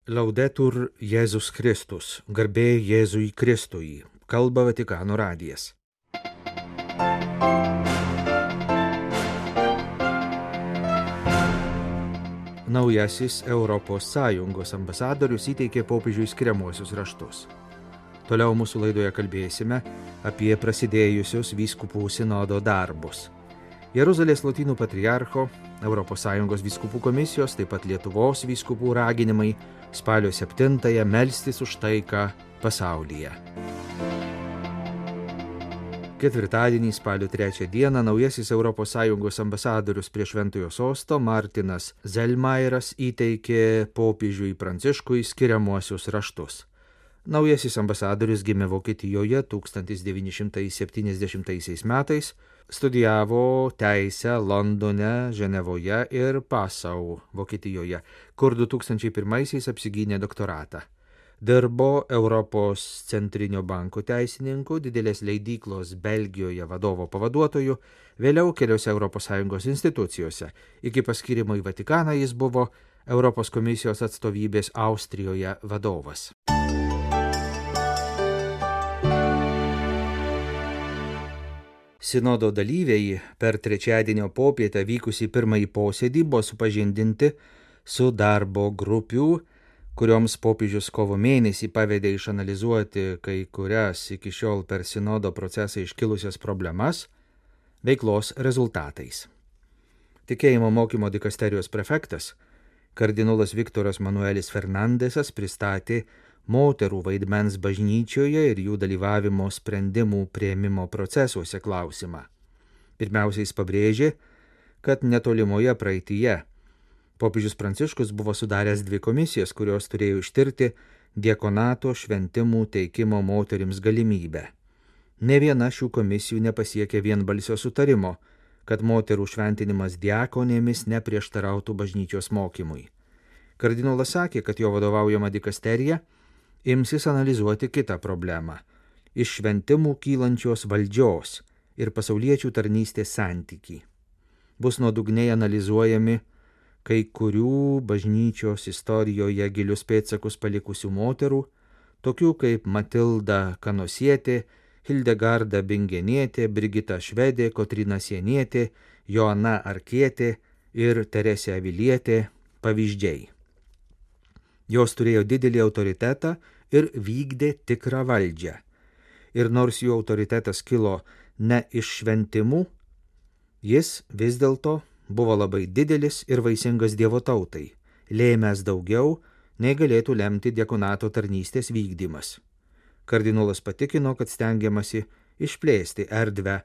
Laudetur Jėzus Kristus, garbė Jėzui Kristui, kalba Vatikano radijas. Naujasis Europos Sąjungos ambasadorius įteikė popiežiui skiriamuosius raštus. Toliau mūsų laidoje kalbėsime apie prasidėjusius vyskupų sinodo darbus. Jeruzalės Lotynų patriarcho, ES vyskupų komisijos, taip pat Lietuvos vyskupų raginimai spalio 7-ąją melstis už taiką pasaulyje. Ketvirtadienį spalio 3 dieną naujasis ES ambasadorius prie Šventojo sosto Martinas Zelmairas įteikė popiežiui Pranciškui skiriamuosius raštus. Naujasis ambasadorius gimė Vokietijoje 1970 metais, studijavo teisę Londone, Ženevoje ir Passau, Vokietijoje, kur 2001 apsigynė doktoratą. Dirbo Europos centrinio banko teisininku, didelės leidyklos Belgijoje vadovo pavaduotoju, vėliau keliose ES institucijose. Iki paskirimo į Vatikaną jis buvo Europos komisijos atstovybės Austrijoje vadovas. Sinodo dalyviai per trečiadienio popietę vykusį pirmąjį posėdį buvo supažindinti su darbo grupių, kurioms popiežius kovo mėnesį pavedė išanalizuoti kai kurias iki šiol per sinodo procesą iškilusias problemas, veiklos rezultatais. Tikėjimo mokymo dikasterijos prefektas, kardinolas Viktoras Manuelis Fernandesas pristatė moterų vaidmens bažnyčioje ir jų dalyvavimo sprendimų priėmimo procesuose klausimą. Pirmiausia, jis pabrėžė, kad netolimoje praeityje popiežius Pranciškus buvo sudaręs 2 komisijas, kurios turėjo ištirti diakonato šventimų teikimo moterims galimybę. Ne viena šių komisijų nepasiekė vienbalsio sutarimo, kad moterų šventinimas diakonėmis neprieštarautų bažnyčios mokymui. Kardinolas sakė, kad jo vadovaujama dikasterija imsis analizuoti kitą problemą – iš šventimų kylančios valdžios ir pasauliečių tarnystės santykį. Bus nuodugniai analizuojami kai kurių bažnyčios istorijoje gilius pėdsakus palikusių moterų, tokių kaip Matilda Kanosietė, Hildegarda Bingenietė, Brigita Švedė, Kotryna Sienietė, Joana Arkietė ir Teresė Avilietė pavyzdžiai. Jos turėjo didelį autoritetą ir vykdė tikrą valdžią. Ir nors jų autoritetas kilo ne iš šventimų, jis vis dėlto buvo labai didelis ir vaisingas Dievo tautai, lėmęs daugiau, nei galėtų lemti diakonato tarnystės vykdymas. Kardinolas patikino, kad stengiamasi išplėsti erdvę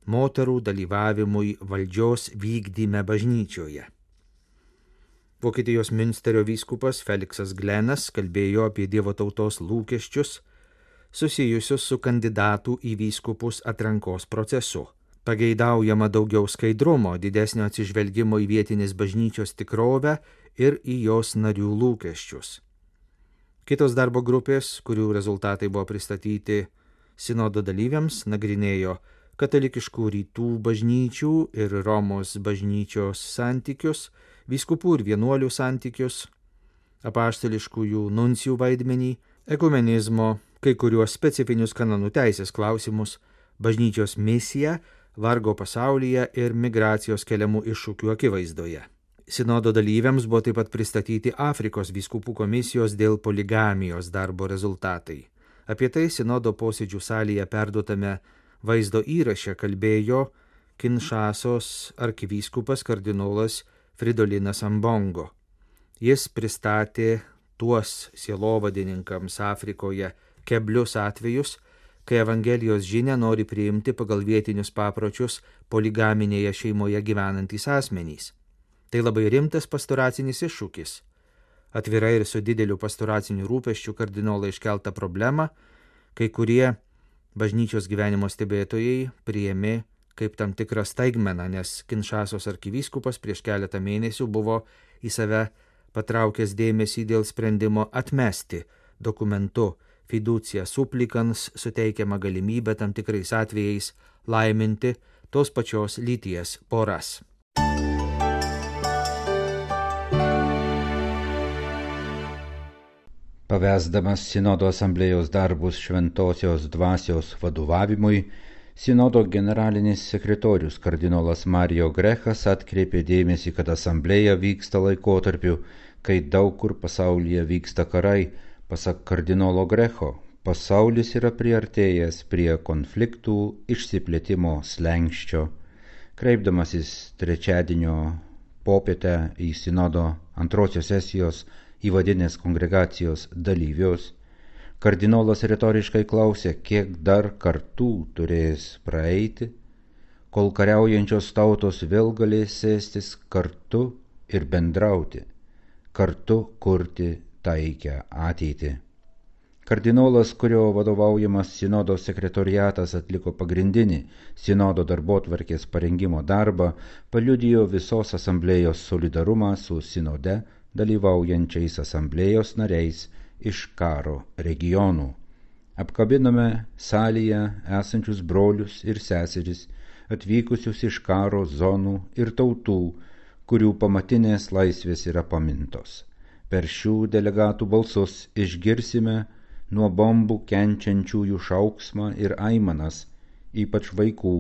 moterų dalyvavimui valdžios vykdyme bažnyčioje. Vokietijos Münsterio vyskupas Feliksas Glenas kalbėjo apie Dievo tautos lūkesčius susijusius su kandidatų į vyskupus atrankos procesu. Pageidaujama daugiau skaidrumo, didesnio atsižvelgimo į vietinės bažnyčios tikrovę ir į jos narių lūkesčius. Kitos darbo grupės, kurių rezultatai buvo pristatyti sinodo dalyviams, nagrinėjo katalikiškų rytų bažnyčių ir Romos bažnyčios santykius, vyskupų ir vienuolių santykius, apaštališkųjų nuncijų vaidmenį, ekumenizmo, kai kuriuos specifinius kanonų teisės klausimus, bažnyčios misiją, vargo pasaulyje ir migracijos keliamų iššūkių akivaizdoje. Sinodo dalyviams buvo taip pat pristatyti Afrikos vyskupų komisijos dėl poligamijos darbo rezultatai. Apie tai sinodo posėdžių salėje perduotame vaizdo įraše kalbėjo Kinšasos arkivyskupas kardinolas Fridolinas Ambongo. Jis pristatė tuos sielovadininkams Afrikoje keblius atvejus, kai Evangelijos žinią nori priimti pagal vietinius papročius poligaminėje šeimoje gyvenantys asmenys. Tai labai rimtas pastoracinis iššūkis. Atvirai ir su dideliu pastoraciniu rūpesčiu kardinolai iškeltą problemą, kai kurie bažnyčios gyvenimo stebėtojai priėmė kaip tam tikrą staigmeną, nes Kinšasos arkivyskupas prieš keletą mėnesių buvo į save patraukęs dėmesį dėl sprendimo atmesti dokumentu fiducia supplicans suteikiama galimybė tam tikrais atvejais laiminti tos pačios lyties poras. Pavesdamas Sinodo asamblėjos darbus šventosios dvasios vadovavimui, Sinodo generalinis sekretorius kardinolas Mario Grechas atkreipė dėmesį, kad asamblėja vyksta laikotarpiu, kai daug kur pasaulyje vyksta karai. Pasak kardinolo Grecho, pasaulis yra priartėjęs prie konfliktų išsiplėtimo slenksčio. Kreipdamasis trečiadienio popietę į Sinodo antrosios sesijos įvadinės kongregacijos dalyvius, kardinolas retoriškai klausė, kiek dar kartų turės praeiti, kol kariaujančios tautos vėl galės sėstis kartu ir bendrauti, kartu kurti taikią ateitį. Kardinolas, kurio vadovaujamas Sinodo sekretoriatas atliko pagrindinį Sinodo darbotvarkės parengimo darbą, paliudijo visos asamblėjos solidarumą su Sinode dalyvaujančiais asamblėjos nariais iš karo regionų. Apkabinome salėje esančius brolius ir seseris, atvykusius iš karo zonų ir tautų, kurių pamatinės laisvės yra pamintos. Per šių delegatų balsus išgirsime nuo bombų kenčiančiųjų šauksmą ir aimanas, ypač vaikų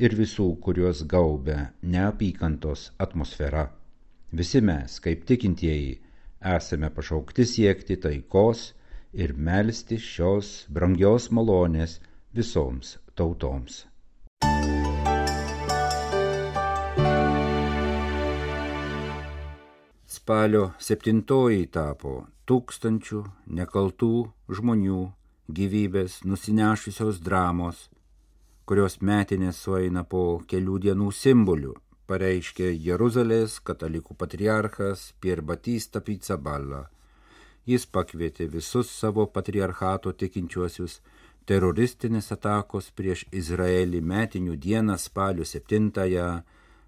ir visų, kuriuos gaubia neapykantos atmosfera. Visi mes, kaip tikintieji, esame pašaukti siekti taikos ir melsti šios brangios malonės visoms tautoms. Spalio 7 tapo tūkstančių nekaltų žmonių gyvybės nusinešusios dramos, kurios metinės sueina po kelių dienų simbolių, pareiškė Jeruzalės katalikų patriarchas Pier Batista Pizzaballa. Jis pakvietė visus savo patriarchato tikinčiuosius teroristinės atakos prieš Izraelį metinių dieną spalio 7-ąją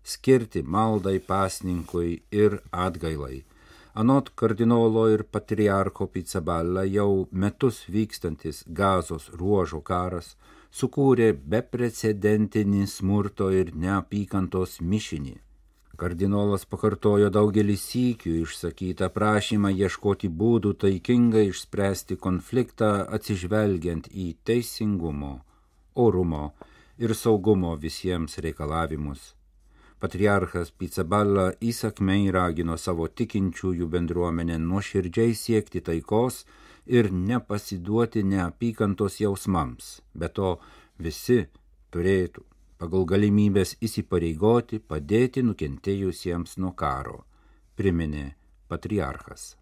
skirti maldai, pasninkui ir atgailai. Anot kardinolo ir patriarcho Pizzaballa jau metus vykstantis Gazos ruožo karas sukūrė beprecedentinį smurto ir neapykantos mišinį. Kardinolas pakartojo daugelį sykių išsakytą prašymą ieškoti būdų taikingai išspręsti konfliktą atsižvelgiant į teisingumo, orumo ir saugumo visiems reikalavimus. Patriarchas Pizzaballa įsakmiai ragino savo tikinčiųjų bendruomenę nuoširdžiai siekti taikos ir nepasiduoti neapykantos jausmams. Be to, visi turėtų pagal galimybės įsipareigoti padėti nukentėjusiems nuo karo, priminė patriarchas.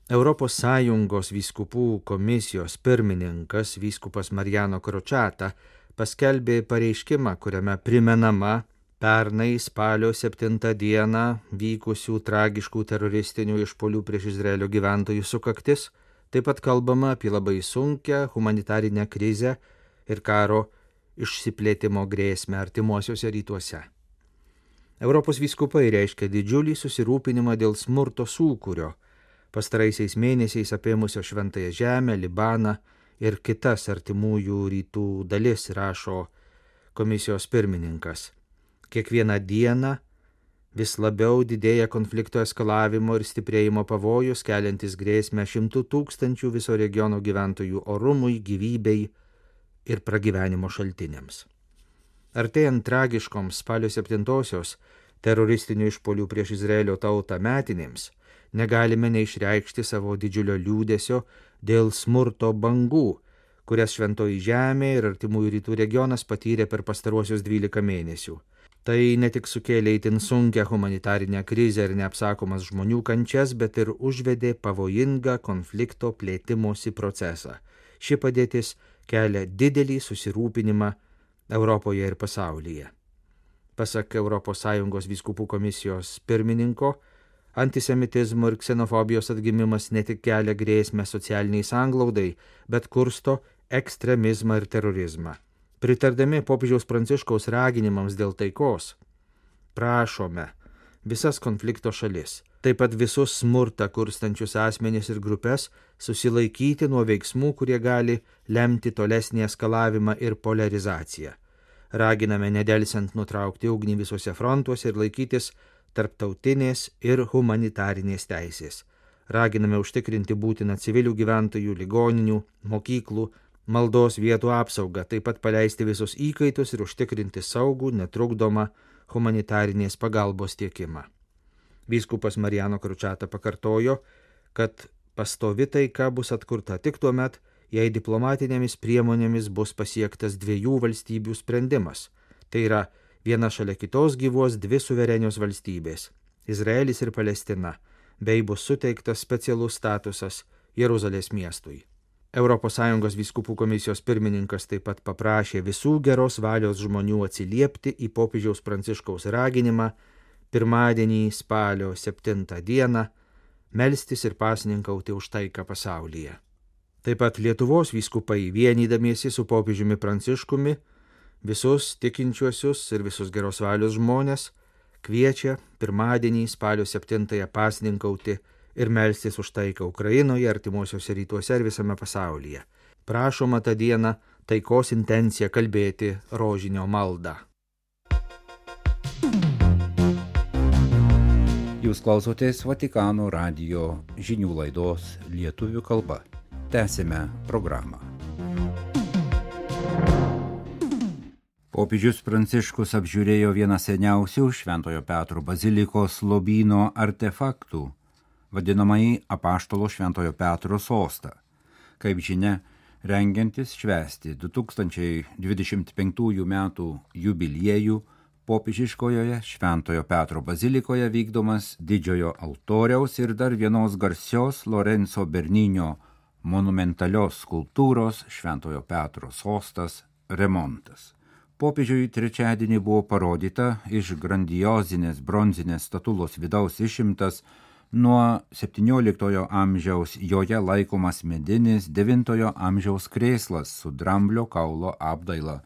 Europos Sąjungos vyskupų komisijos pirmininkas vyskupas Mariano Crociata paskelbė pareiškimą, kuriame primenama pernai spalio 7 dieną vykusių tragiškų teroristinių išpuolių prieš Izraelio gyventojų sukaktis. Taip pat kalbama apie labai sunkią humanitarinę krizę ir karo išsiplėtimo grėsmę artimuosiuose rytuose. Europos vyskupai reiškia didžiulį susirūpinimą dėl smurto sūkurio, pastaraisiais mėnesiais apėmusio Šventąją Žemę, Libaną ir kitas artimųjų rytų dalis, rašo komisijos pirmininkas. Kiekvieną dieną vis labiau didėja konflikto eskalavimo ir stiprėjimo pavojus, keliantis grėsmę 100 000 viso regiono gyventojų orumui, gyvybei ir pragyvenimo šaltiniams. Artėjant tragiškoms spalio 7-osios teroristinių išpuolių prieš Izraelio tautą metinėms, negalime neišreikšti savo didžiulio liūdesio dėl smurto bangų, kurias Šventoji Žemė ir artimųjų rytų regionas patyrė per pastaruosius 12 mėnesių. Tai ne tik sukėlė itin sunkią humanitarinę krizę ir neapsakomas žmonių kančias, bet ir užvedė pavojingą konflikto plėtimosi procesą. Ši padėtis kelia didelį susirūpinimą Europoje ir pasaulyje. Pasak Europos Sąjungos vyskupų komisijos pirmininko, antisemitizmo ir ksenofobijos atgimimas ne tik kelia grėsmę socialiniai sanglaudai, bet kursto ekstremizmą ir terorizmą. Pritardami popiežiaus Pranciškaus raginimams dėl taikos, prašome visas konflikto šalis, taip pat visus smurtą kurstančius asmenis ir grupės, susilaikyti nuo veiksmų, kurie gali lemti tolesnį eskalavimą ir polarizaciją. Raginame nedelsiant nutraukti ugnį visuose frontuose ir laikytis tarptautinės ir humanitarinės teisės. Raginame užtikrinti būtiną civilių gyventojų, ligoninių, mokyklų, maldos vietų apsaugą, taip pat paleisti visus įkaitus ir užtikrinti saugų, netrukdomą humanitarinės pagalbos tiekimą. Vyskupas Mariano Kručata pakartojo, kad pastovi taika bus atkurta tik tuo met, jei diplomatinėmis priemonėmis bus pasiektas 2 valstybių sprendimas. Tai yra, viena šalia kitos gyvuos 2 suverenios valstybės – Izraelis ir Palestina, bei bus suteiktas specialus statusas Jeruzalės miestui. ES vyskupų komisijos pirmininkas taip pat paprašė visų geros valios žmonių atsiliepti į popiežiaus Pranciškaus raginimą pirmadienį spalio 7 dieną melstis ir pasninkauti už taiką pasaulyje. Taip pat Lietuvos vyskupai vienydamiesi su popiežiumi Pranciškumi visus tikinčiuosius ir visus geros valios žmonės kviečia pirmadienį spalio 7 pasninkauti ir melstis už taiką Ukrainoje, artimuosiuose rytuose ir visame pasaulyje. Prašoma tą dieną taikos intenciją kalbėti rožinio maldą. Jūs klausotės Vatikano radijo žinių laidos lietuvių kalba. Tęsime programą. Popiežius Pranciškus apžiūrėjo vieną seniausių Šventojo Petro bazilikos lobyno artefaktų, vadinamąjį Apaštalo Šventojo Petro sostą. Kaip žinia, rengiantis švęsti 2025 metų jubiliejų, popiežiškojoje Šventojo Petro bazilikoje vykdomas didžiojo altoriaus ir dar vienos garsios Lorenzo Bernino monumentalios skulptūros Šventojo Petro sostas remontas. Popiežiui trečiadienį buvo parodyta iš grandiozinės bronzinės statulos vidaus išimtas nuo 17 amžiaus joje laikomas medinis 9 amžiaus krėslas su dramblio kaulo apdaila,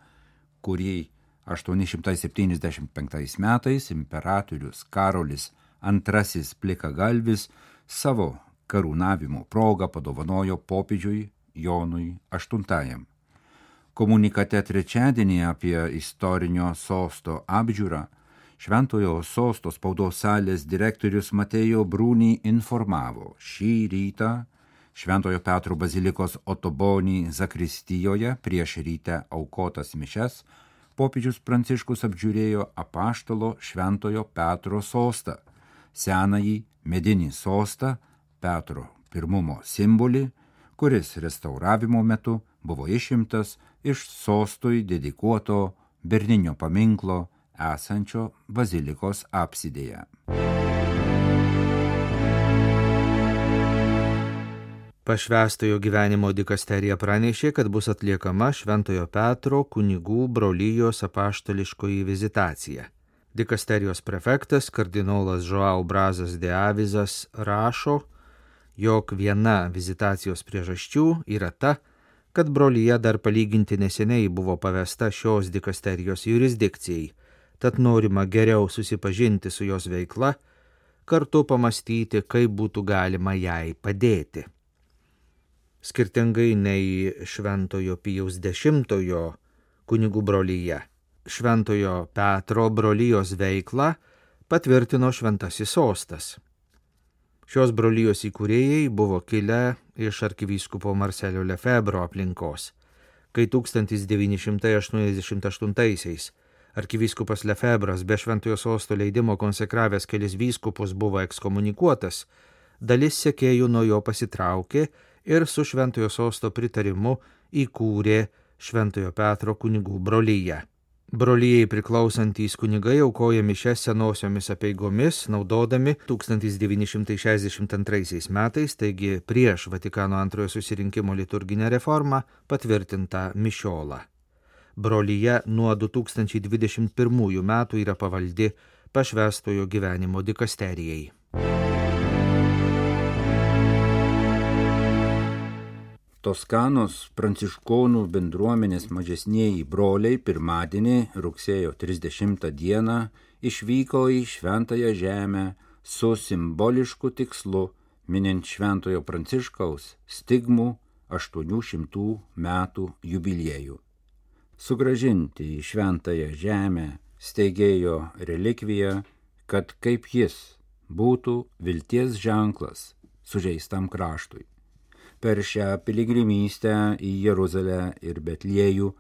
kurį 875 metais imperatorius Karolis II plikagalvis savo karūnavimo progą padovanojo popiežiui Jonui VIII. Komunikate trečiadienį apie istorinio sosto apžiūrą Šventojo sosto spaudos salės direktorius Matėjo Brūnį informavo, šį rytą Šventojo Petro bazilikos Otobonį zakristijoje prieš rytę aukotas mišes popiežius Pranciškus apžiūrėjo Apaštalo Šventojo Petro sostą, senąjį medinį sostą, Petro pirmumo simbolį, kuris restauravimo metu buvo išimtas iš sostui dedikuoto Berninio paminklo esančio bazilikos apsidėje. Pašvęstojo gyvenimo dikasterija pranešė, kad bus atliekama Šventojo Petro kunigų brolijos apaštališkoji vizitacija. Dikasterijos prefektas kardinolas Joao Brazas de Avizas rašo, jog viena vizitacijos priežasčių yra ta, kad brolija dar palyginti neseniai buvo pavesta šios dikasterijos jurisdikcijai, tad norima geriau susipažinti su jos veikla, kartu pamastyti, kaip būtų galima jai padėti. Skirtingai nei Šventojo Pijaus X kunigų brolija, Šventojo Petro brolijos veiklą patvirtino Šventasis sostas. Šios brolijos įkūrėjai buvo kilę iš arkivyskupo Marcelio Lefebvro aplinkos, kai 1988-aisiais arkivyskupas Lefebvras be Šventojo sosto leidimo konsekravęs kelis vyskupus buvo ekskomunikuotas, dalis sekėjų nuo jo pasitraukė ir su Šventojo sosto pritarimu įkūrė Šventojo Petro kunigų broliją. Brolijai priklausantys kunigai aukoja mišias senosiomis apeigomis, naudodami 1962 metais, taigi prieš Vatikano antrojo susirinkimo liturginę reformą, patvirtintą mišiolą. Brolija nuo 2021 metų yra pavaldi Pašvęstojo gyvenimo dikasterijai. Toskanos pranciškonų bendruomenės mažesnieji broliai pirmadienį rugsėjo 30 dieną išvyko į Šventąją žemę su simbolišku tikslu minint Šventojo Pranciškaus stigmų 800 metų jubiliejų. Sugrąžinti į Šventąją žemę steigėjo relikviją kad kaip jis būtų vilties ženklas sužeistam kraštui. Per šią piligrimystę į Jeruzalę ir Betliejų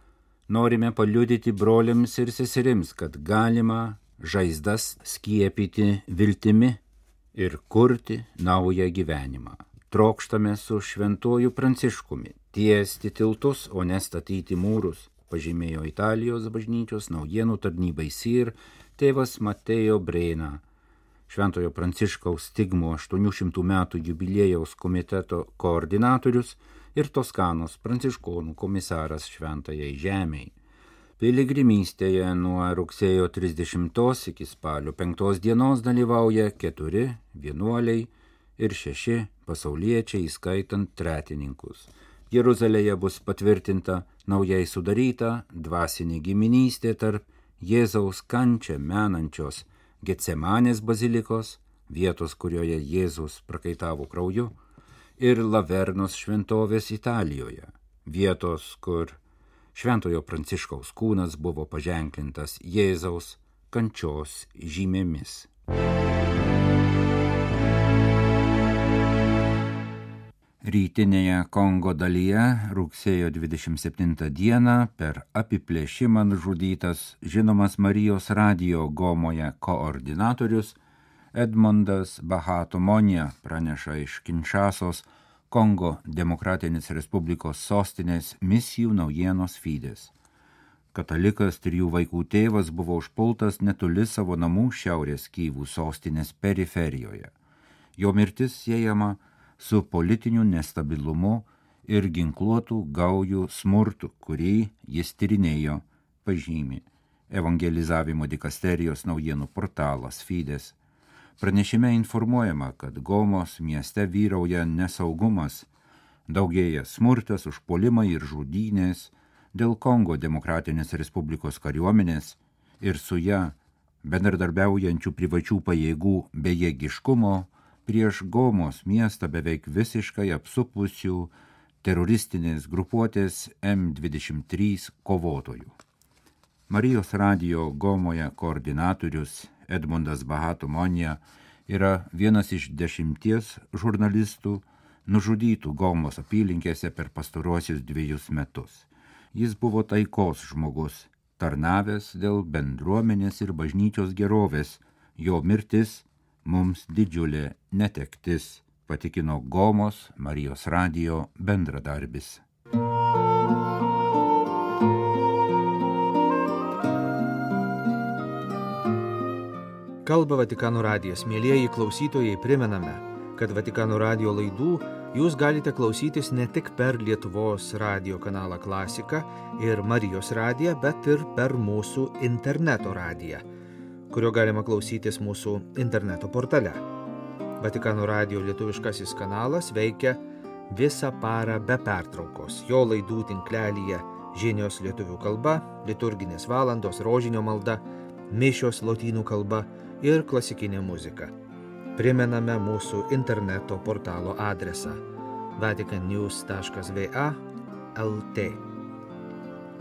norime paliudyti broliams ir seserims, kad galima žaizdas skiepyti viltimi ir kurti naują gyvenimą. Trokštame su šventuoju Pranciškumi tiesti tiltus, o ne statyti mūrus, pažymėjo Italijos bažnyčios naujienų tarnybai SIR tėvas Mateo Brena. Šventojo Pranciškaus stigmo 800 metų jubiliejaus komiteto koordinatorius ir Toskanos pranciškonų komisaras Šventajai žemei. Piligrimystėje nuo rugsėjo 30 iki spalio 5 dienos dalyvauja 4 vienuoliai ir 6 pasauliečiai, įskaitant tretininkus. Jeruzalėje bus patvirtinta naujai sudaryta dvasinė giminystė tarp Jėzaus kančią menančios Getsemanės bazilikos, vietos, kurioje Jėzus prakaitavo krauju, ir Lavernos šventovės Italijoje, vietos, kur Šventojo Pranciškaus kūnas buvo paženklintas Jėzaus kančios žymėmis. Rytinėje Kongo dalyje rugsėjo 27 dieną per apiplėšimą nužudytas žinomas Marijos radijo Gomoje koordinatorius Edmondas Bahatomonija praneša iš Kinšasos, Kongo Demokratinės Respublikos sostinės misijų naujienos Fides. Katalikas 3 vaikų tėvas buvo užpultas netoli savo namų šiaurės Kyvų sostinės periferijoje. Jo mirtis siejama su politiniu nestabilumu ir ginkluotų gaujų smurtu, kurį jis tyrinėjo, pažymi evangelizavimo dikasterijos naujienų portalas Fides. Pranešime informuojama, kad Gomos mieste vyrauja nesaugumas, daugėja smurtas, užpuolimai ir žudynės dėl Kongo Demokratinės Respublikos kariuomenės ir su ją bendradarbiaujančių privačių pajėgų bejėgiškumo prieš Gomos miestą beveik visiškai apsupusių teroristinės grupuotės M23 kovotojų. Marijos radijo Gomoje koordinatorius Edmondas Bahatomonija yra vienas iš 10 žurnalistų nužudytų Gomos apylinkėse per pastaruosius 2 metus. Jis buvo taikos žmogus, tarnavęs dėl bendruomenės ir bažnyčios gerovės. Jo mirtis mums didžiulė netektis, patikino Gomos Marijos radijo bendradarbis. Kalba Vatikano radijas. Mielieji klausytojai, primename, kad Vatikano radijo laidų jūs galite klausytis ne tik per Lietuvos radijo kanalą Klasika ir Marijos radiją, bet ir per mūsų interneto radiją, kurio galima klausytis mūsų interneto portale. Vatikano radijo lietuviškasis kanalas veikia visą parą be pertraukos. Jo laidų tinklelyje žinios lietuvių kalba, liturginės valandos, rožinio malda, mišios lotynų kalba ir klasikinė muzika. Primename mūsų interneto portalo adresą vaticannews.va/lt.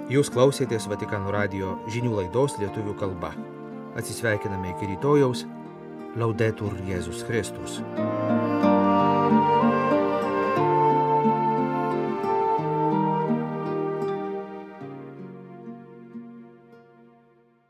Jūs klausėtės Vatikano radijo žinių laidos lietuvių kalba. Atsisveikiname iki rytojaus. Laudetur Jėzus Kristus.